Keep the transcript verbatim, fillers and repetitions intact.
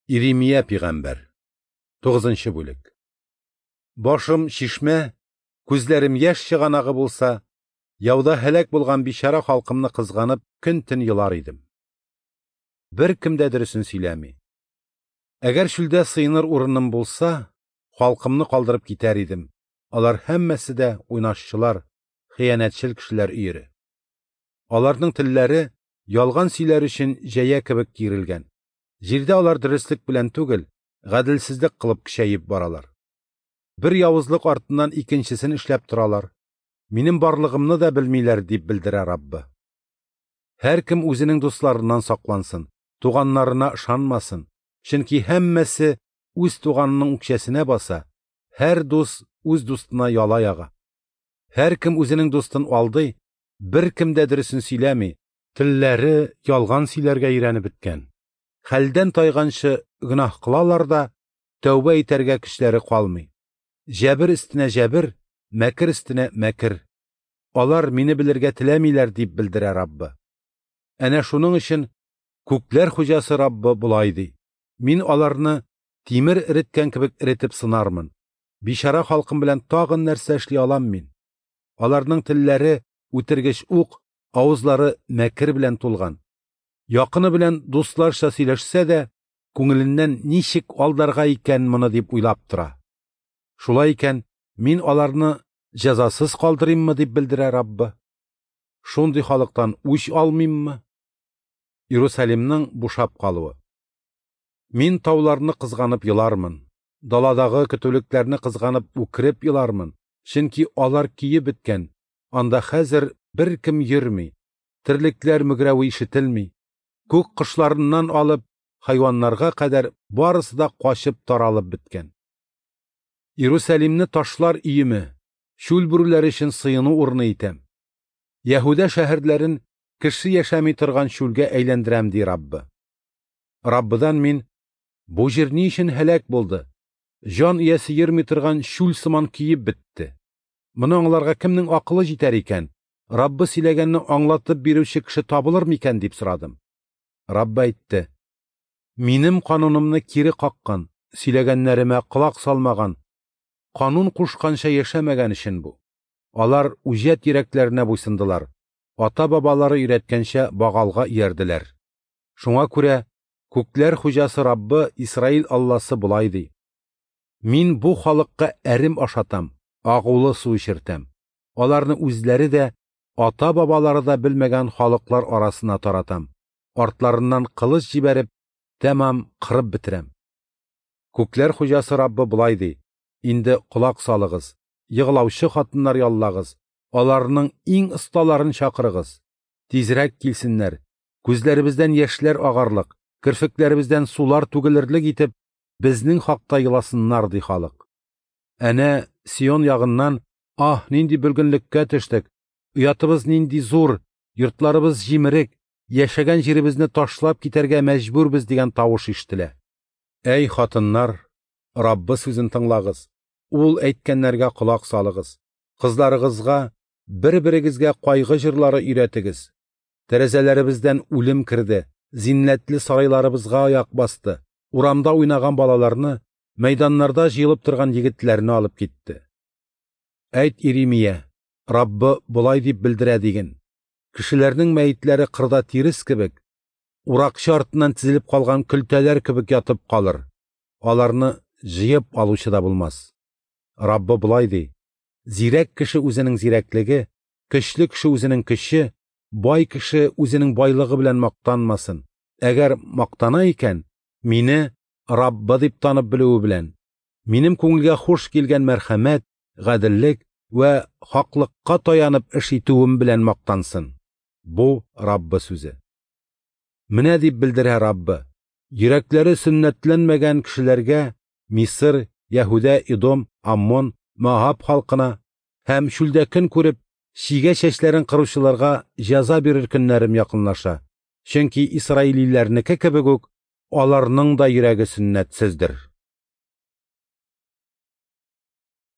Иремия пәйгамбәр. Тугызынчы бүлек. Башым чишмә, күзләрем яшь чыганагы булса, яуда һәлак булган бичара халкымны кызганып көн-төн елар идем. Беркем дә дөресен сөйләми. Әгәр чүлдә сыеныр урыным булса, халкымны калдырып китәр идем. Алар һәммәсе дә уйнашчылар, хыянәтчел кешеләр өере. Аларның телләре ялган сөйләр өчен җәя кебек киерелгән. Җирдә алар дөреслек белән түгел, гаделсезлек кылып көчәеп баралар. Бер явызлык артыннан икенчесен эшләп торалар. Минем барлыгымны да белмиләр, дип белдерә Раббы. Һәркем үзенең дусларыннан саклансын, туганнарына ышанмасын, чөнки һәммәсе үз туганының үкчәсенә баса, һәр дус үз дустына яла яга. Һәркем үзенең дустын алдый, беркем дә дөресен сөйләми, телләре ялган сөйләргә өйрәнеп беткән. Хәлдән тайганчы гөнаһ кылалар да, тәүбә итәргә көчләре калмый. Җәбер өстенә җәбер, мәкер өстенә мәкер. Алар мине белергә теләмиләр, дип белдерә Раббы. Әнә шуның өчен күкләр хуҗасы Раббы болай ди: Мин аларны тимер эреткән кебек эретеп сынармын. Бичара халкым белән тагын нәрсә эшли алам мин? Аларның телләре үтергеч ук, авызлары мәкер белән тулган. Якыны белән дусларча сөйләшсә дә, күңеленнән ничек алдарга икән моны дип уйлап тора. Шулай икән, мин аларны җәзасыз калдырыйммы, дип белдерә Раббы. Шундый халыктан үч алмыйммы? Иерусалимның бушап калуы. Мин тауларны кызганып елармын, даладагы көтүлекләрне кызганып үкереп елармын, чөнки алар киеп беткән, анда хәзер беркем йөрми, терлекләр мөгрәве ишетелми, күк кошларыннан алып хайваннарга кадәр барысы да качып таралып беткән. Иерусалимны ташлар өеме, чүл бүреләре өчен сыену урыны итәм. Яһүдә шәһәрләрен кеше яшәми торган чүлгә әйләндерәм, ди Раббы. Раббыдан мин: бу җир ни өчен һәлак булды? Җан иясе йөрми торган чүл сыман киеп бетте. Моны аңларга кемнең акылы җитәр икән? Раббы сөйләгәнне аңлатып бирүче кеше табылыр микән, дип сорадым. Раббы әйтте: Минем канунымны кире каккан, сөйләгәннәремә колак салмаган, канун кушканча яшәмәгән өчен бу. Алар үҗәт йөрәкләренә буйсындылар, ата-бабалары өйрәткәнчә Багалга иярделәр. Шуңа күрә күкләр хуҗасы Раббы, Исраил Алласы болай ди: Мин бу халыкка әрем ашатам, агулы су эчертәм. Аларны үзләре дә, ата-бабалары да белмәгән халыклар арасына таратам. Артларыннан кылыч җибәреп, тәмам кырып бетерәм. Күкләр хуҗасы Раббы болай ди: Инде колак салыгыз, егылаучы хатыннар яллагыз, аларның иң осталарын чакырыгыз. Тизрәк килсеннәр, күзләребездән яшьләр агарлык, керфекләребездән сулар түгелерлек итеп, безнең хакта еласыннар, ди халык. Әнә Сион ягыннан: Аһ, нинди бөлгенлеккә төштек, оятыбыз нинди зур, йортларыбыз җимерек, яшәгән җиребезне ташлап китәргә мәҗбүрбез, дигән тавыш ишетелә. Әй хатыннар, Раббы сүзен тыңлагыз, ул әйткәннәргә колак салыгыз. Кызларыгызга, бер-берегезгә кайгы җырлары өйрәтегез. Тәрәзәләребездән үлем керде, зиннәтле сарайларыбызга аяк басты, урамда уйнаган балаларны, мәйданнарда җыелып торган егетләрне алып китте. Әйт, Иремия, Раббы болай дип белдерә диген: Кешеләрнең мәетләре кырда тирес кебек, уракчы артыннан тезелеп калган көлтәләр кебек ятып калыр. Аларны җыеп алучы да булмас. Раббы болай ди: Зирәк кеше үзенең зирәклеге, көчле кеше үзенең көче, бай кеше үзенең байлыгы белән мактанмасын. Әгәр мактана икән, мине Раббы дип танып белүе белән, минем күңелгә хуш килгән мәрхәмәт, гаделлек вә хаклыкка таянып эш итүем белән мактансын. Бу Раббы сүзе. Менә дип белдерә Раббы: йөрәкләре сөннәтләнмәгән кешеләргә, Мисыр, Яһүдә, Идом, Аммон, Моаб халкына һәм чүлдә көн күреп, чигә чәчләрен кыручыларга җәза бирер көннәрем якынлаша. Чөнки исраилиләрнеке кебек үк, аларның да йөрәге сөннәтсездер.